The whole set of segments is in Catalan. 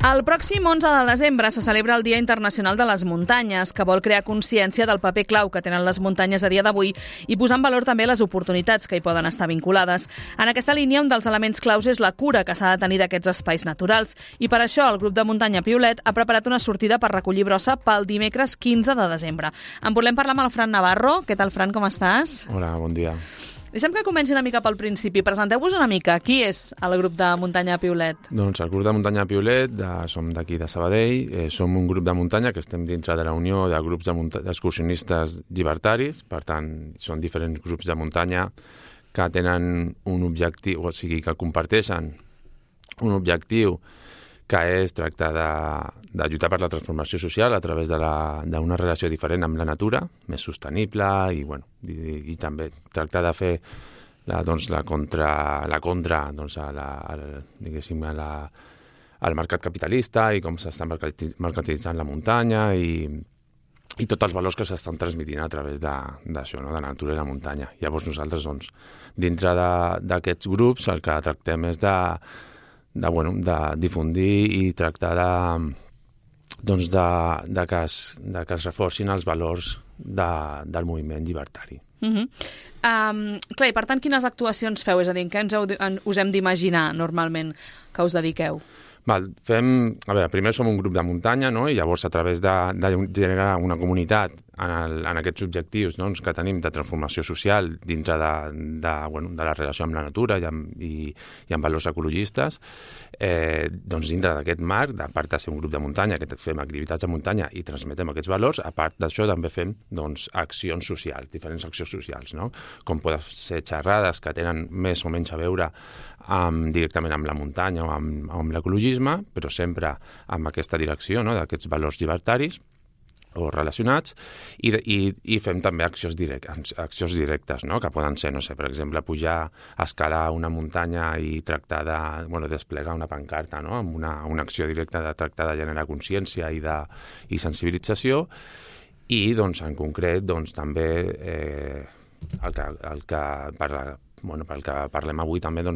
El pròxim 11 de desembre se celebra el Dia Internacional de les Muntanyes, que vol crear consciència del paper clau que tenen les muntanyes a dia d'avui i posar en valor també les oportunitats que hi poden estar vinculades. En aquesta línia, un dels elements claus és la cura que s'ha de tenir d'aquests espais naturals. I per això el grup de muntanya Piolet ha preparat una sortida per recollir brossa pel dimecres 15 de desembre. En volem parlar amb el Fran Navarro. Què tal, Fran, com estàs? Hola, bon dia. Deixem que comenci una mica pel principi. Presenteu-vos una mica. Qui és el grup de muntanya Piolet? Doncs el grup de muntanya Piolet, som d'aquí de Sabadell, som un grup de muntanya que estem dintre de la Unió de grups d'excursionistes llibertaris, per tant, són diferents grups de muntanya que tenen un objectiu, o sigui, que comparteixen un objectiu que és tractar de lluitar per la transformació social a través d'una relació diferent amb la natura, més sostenible i també tractar de fer la contra al mercat capitalista i com s'està mercantilitzant la muntanya i tots els valors que s'estan transmitint a través d'això, no? De la natura i la muntanya. Llavors nosaltres, dintre d'aquests grups, el que tractem és de difundir i tractar que es reforcin els valors del moviment llibertari. Clar, i per tant, quines actuacions feu? És a dir, en què us hem d'imaginar normalment que us dediqueu? Primer som un grup de muntanya, no? I llavors a través de generar una comunitat en aquests objectius que tenim de transformació social dintre de la relació amb la natura i amb valors ecologistes, dintre d'aquest marc, a part de ser un grup de muntanya, que fem activitats de muntanya i transmetem aquests valors, a part d'això també fem accions socials, diferents accions socials, no? Com poden ser xerrades que tenen més o menys a veure directament amb la muntanya o amb l'ecologisme, però sempre amb aquesta direcció, no? D'aquests valors llibertaris o relacionats, i fem també accions directes, no? Que poden ser, per exemple, pujar a escalar una muntanya i tractar de desplegar una pancarta, no? Amb una acció directa de tractar de generar consciència i sensibilització, i en concret també pel que parlem avui també,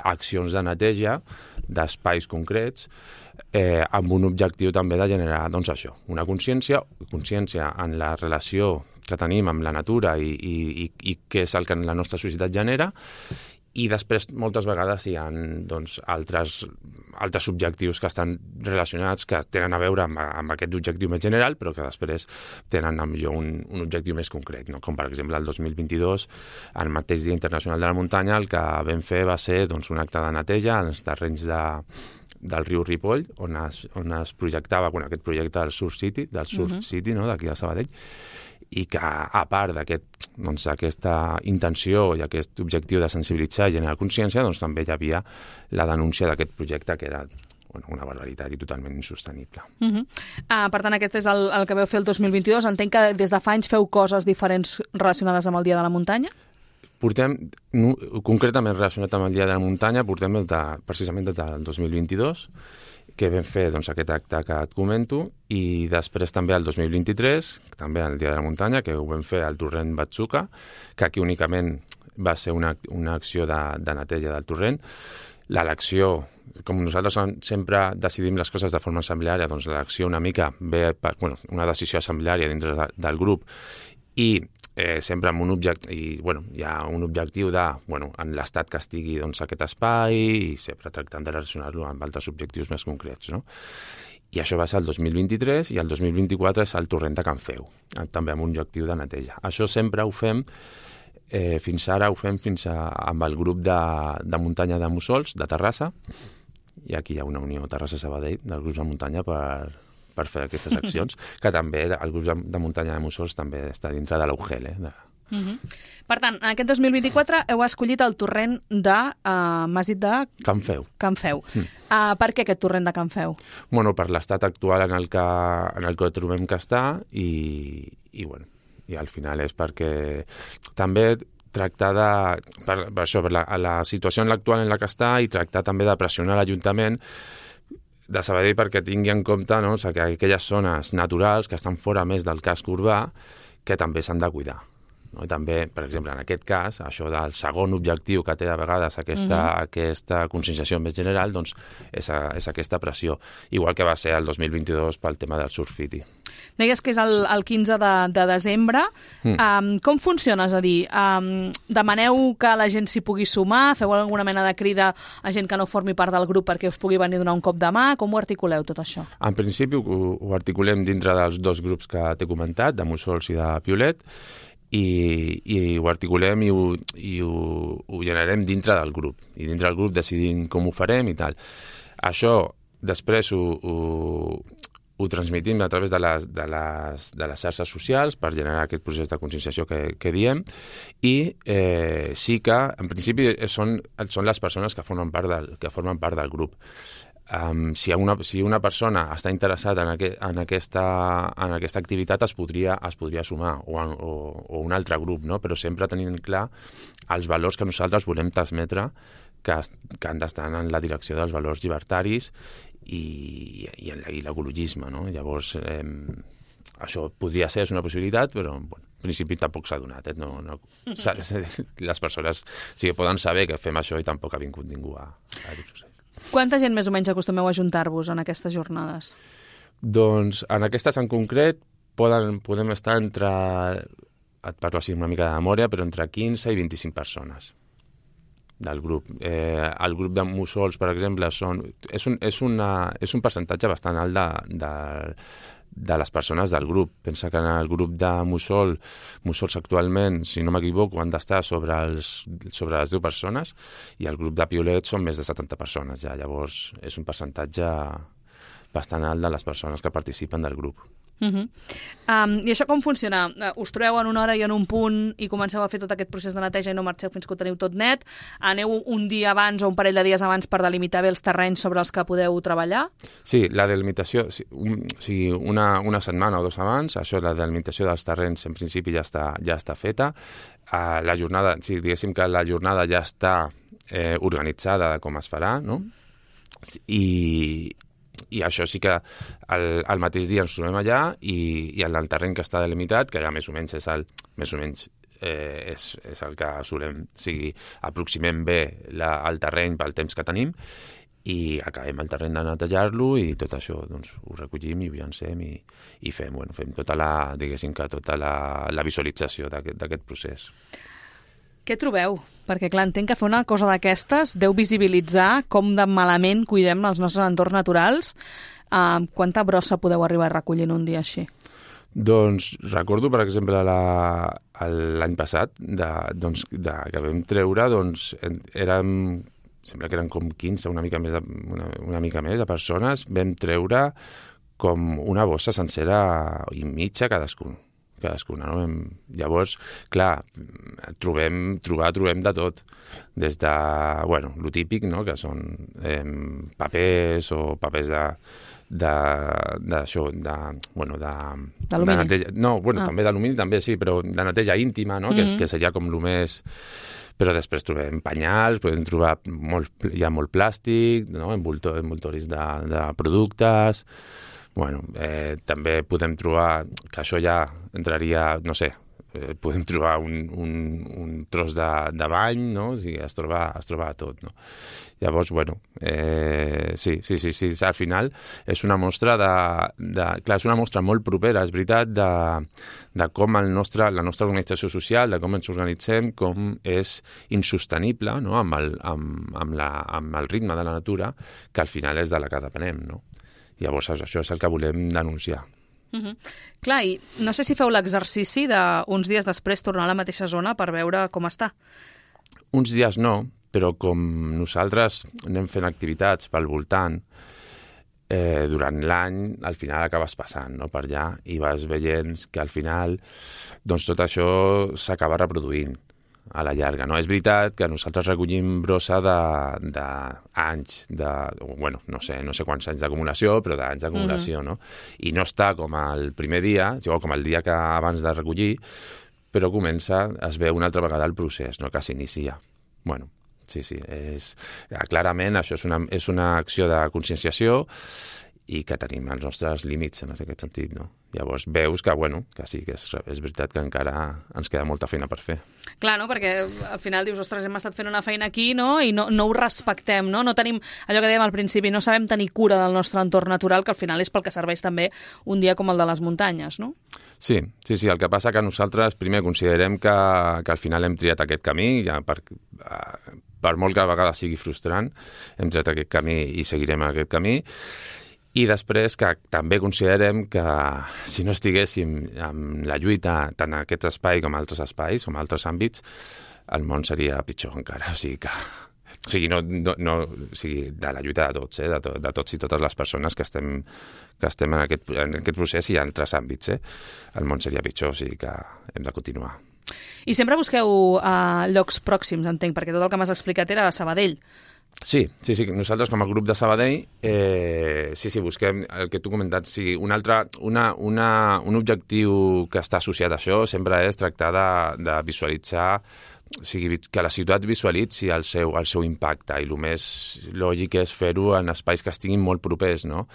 accions de neteja d'espais concrets amb un objectiu també de generar una consciència en la relació que tenim amb la natura i què és el que la nostra societat genera. I després, moltes vegades, hi ha altres objectius que estan relacionats, que tenen a veure amb aquest objectiu més general, però que després tenen millor un objectiu més concret, no? Com, per exemple, el 2022, el mateix Dia Internacional de la Muntanya, el que vam fer va ser un acte de neteja als terrenys del riu Ripoll, on es projectava aquest projecte del Surf City, no? D'aquí de Sabadell, i que, a part d'aquesta intenció i aquest objectiu de sensibilitzar i generar consciència, també hi havia la denúncia d'aquest projecte, que era una barbaritat i totalment insostenible. Per tant, aquest és el que vau fer el 2022. Entenc que des de fa anys feu coses diferents relacionades amb el Dia de la Muntanya? Concretament relacionat amb el Dia de la Muntanya, portem precisament des del 2022, que vam fer aquest acte que et comento, i després també el 2023, també el Dia de la Muntanya, que ho vam fer al torrent Batsuca, que aquí únicament va ser una acció de neteja del torrent. L'elecció, com nosaltres sempre decidim les coses de forma assembleària, l'elecció una mica ve per una decisió assembleària dintre del grup, i sempre amb un objectiu, hi ha un objectiu en l'estat que estigui aquest espai, i sempre tractant de relacionar-lo amb altres objectius més concrets, no? I això va ser el 2023, i el 2024 és el torrent de Can Feu, també amb un objectiu de neteja. Això sempre ho fem, fins ara ho fem amb el grup de muntanya de Mussols, de Terrassa, i aquí hi ha una unió Terrassa-Sabadell del grup de muntanya per fer aquestes accions, que també el grup de muntanya de Mussols també està dintre de l'UGEL. Per tant, en aquest 2024 heu escollit el torrent m'has dit de... Can Feu. Per què aquest torrent de Can Feu? Per l'estat actual en el que trobem que està, i al final és perquè també tractar per la situació actual en la que està, i tractar també de pressionar l'Ajuntament de Sabadell perquè tingui en compte, no? Que aquelles zones naturals que estan fora més del casc urbà, que també s'han de cuidar. no? I també, per exemple, en aquest cas, això del segon objectiu que té a vegades aquesta conscienciació més general, doncs és aquesta pressió, igual que va ser el 2022 pel tema del Surfiti. Deies que és el 15 de desembre. Com funciona? És a dir, demaneu que la gent s'hi pugui sumar? Feu alguna mena de crida a gent que no formi part del grup perquè us pugui venir a donar un cop de mà? Com ho articuleu, tot això? En principi ho articulem dintre dels dos grups que t'he comentat, de Mussols i de Piolet, i ho articulem i ho generem dintre del grup. I dintre del grup decidim com ho farem i tal. Això després ho transmitim a través de les xarxes socials per generar aquest procés de conscienciació que diem, i sí que, en principi, són les persones que formen part del grup. Si una persona està interessada en aquesta activitat es podria sumar, o un altre grup, no? Però sempre tenint clar els valors que nosaltres volem transmetre, que han d'estar en la direcció dels valors llibertaris i l'ecologisme, no? Llavors, això podria ser una possibilitat, però en principi tampoc s'ha donat. Les persones sí que poden saber que fem això i tampoc ha vingut ningú a dir-ho. Quanta gent més o menys acostumeu a juntar-vos en aquestes jornades? Doncs en aquestes en concret podem estar entre, et parlo així una mica de memòria, però entre 15 i 25 persones del grup. El grup de Mussols, per exemple, és un percentatge bastant alt de les persones del grup. Pensa que en el grup de Mussols actualment, si no m'equivoco, han d'estar sobre les 10 persones, i el grup de Piolet són més de 70 persones ja. Llavors és un percentatge bastant alt de les persones que participen del grup. I això com funciona? Us trobeu en una hora i en un punt i comenceu a fer tot aquest procés de neteja i no marxeu fins que ho teniu tot net? Aneu un dia abans o un parell de dies abans per delimitar bé els terrenys sobre els que podeu treballar? Sí, la delimitació, una setmana o dos abans, això, la delimitació dels terrenys en principi ja està feta. La jornada, diguéssim que la jornada ja està organitzada de com es farà, no? I això sí que el mateix dia ens trobem allà, i en el terreny que està delimitat, que ja més o menys és el que solem, aproximem bé el terreny pel temps que tenim, i acabem el terreny de netejar-lo, i tot això doncs, ho recollim i ho llancem i fem tota la visualització d'aquest procés. Què trobeu? Perquè, clar, entenc que fer una cosa d'aquestes deu visibilitzar com de malament cuidem els nostres entorns naturals. Quanta brossa podeu arribar a recollir en un dia així? Doncs recordo, per exemple, l'any passat, que vam treure, sembla que eren com 15, una mica més de persones, vam treure com una bossa sencera i mitja cadascuna, no? Llavors, clar, trobem de tot, des de, lo típic, no?, que són papers o papers d'alumini. També d'alumini, també, sí, però de neteja íntima, no?, que seria com el més... Però després trobem penyals, podem trobar molt plàstic, no?, envoltoris de productes... també podem trobar, que això ja entraria, no sé, podem trobar un tros de bany, no? O sigui, es troba tot, no? Llavors, sí, al final és una mostra clar, és una mostra molt propera, és veritat, de com la nostra organització social, de com ens organitzem, com és insostenible, no?, amb el ritme de la natura, que al final és de la que depenem, no? Llavors, això és el que volem denunciar. Clar, i no sé si feu l'exercici d'uns dies després tornar a la mateixa zona per veure com està. Uns dies no, però com nosaltres anem fent activitats pel voltant, durant l'any, al final acabes passant, no?, per allà, i vas veient que al final doncs, tot això s'acaba reproduint a la llarga, no? És veritat que nosaltres recollim brossa d'anys, no sé quants anys d'acumulació, però d'anys d'acumulació, no? I no està com el primer dia, com el dia que abans de recollir, però es veu una altra vegada el procés, no?, que s'inicia. Sí, clarament això és una acció de conscienciació, i que tenim els nostres límits en aquest sentit, no? Llavors veus que, que sí, que és veritat que encara ens queda molta feina per fer. Clar, no? Perquè al final dius, ostres, hem estat fent una feina aquí, no? I no ho respectem, no? No tenim, allò que dèiem al principi, no sabem tenir cura del nostre entorn natural, que al final és pel que serveix també un dia com el de les muntanyes, no? Sí, el que passa que nosaltres primer considerem que al final hem triat aquest camí, ja per molt que a vegades sigui frustrant, hem triat aquest camí i seguirem aquest camí. I després que també considerem que si no estiguéssim en la lluita tant en aquest espai com en altres espais, com en altres àmbits, el món seria pitjor encara. O sigui, de la lluita de tots, de tots i totes les persones que estem en aquest procés i en altres àmbits. El món seria pitjor, o sigui que hem de continuar. I sempre busqueu llocs pròxims, entenc, perquè tot el que m'has explicat era a Sabadell. Sí. Nosaltres com a grup de Sabadell busquem el que tu comentat. Un objectiu que està associat a això sempre és tractar de visualitzar, que la ciutat visualitzi el seu impacte, i el més lògic és fer-ho en espais que estiguin molt propers, no?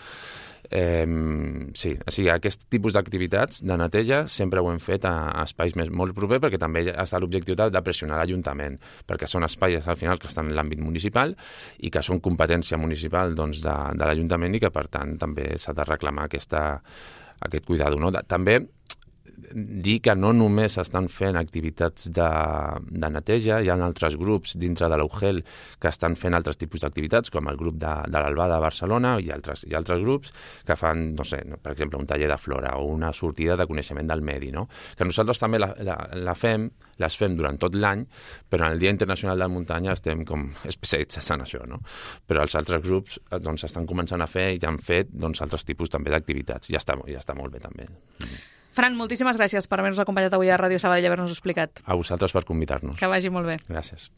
Aquest tipus d'activitats de neteja sempre ho hem fet a espais molt propers, perquè també està l'objectiu de pressionar l'Ajuntament, perquè són espais al final que estan en l'àmbit municipal i que són competència municipal de l'Ajuntament, i que per tant també s'ha de reclamar aquest cuidado, no? També dir que no només estan fent activitats de neteja, hi ha altres grups dintre de l'UGEL que estan fent altres tipus d'activitats, com el grup de l'Albà de Barcelona i altres grups que fan, per exemple, un taller de flora o una sortida de coneixement del medi, no? Que nosaltres també les fem durant tot l'any, però en el Dia Internacional de la Muntanya estem com especialitzats en això, no? Però els altres grups estan començant a fer i ja han fet altres tipus també d'activitats. Ja està molt bé també. Fran, moltíssimes gràcies per haver-nos acompanyat avui a Ràdio Sabadell i haver-nos explicat. A vosaltres per convidar-nos. Que vagi molt bé. Gràcies.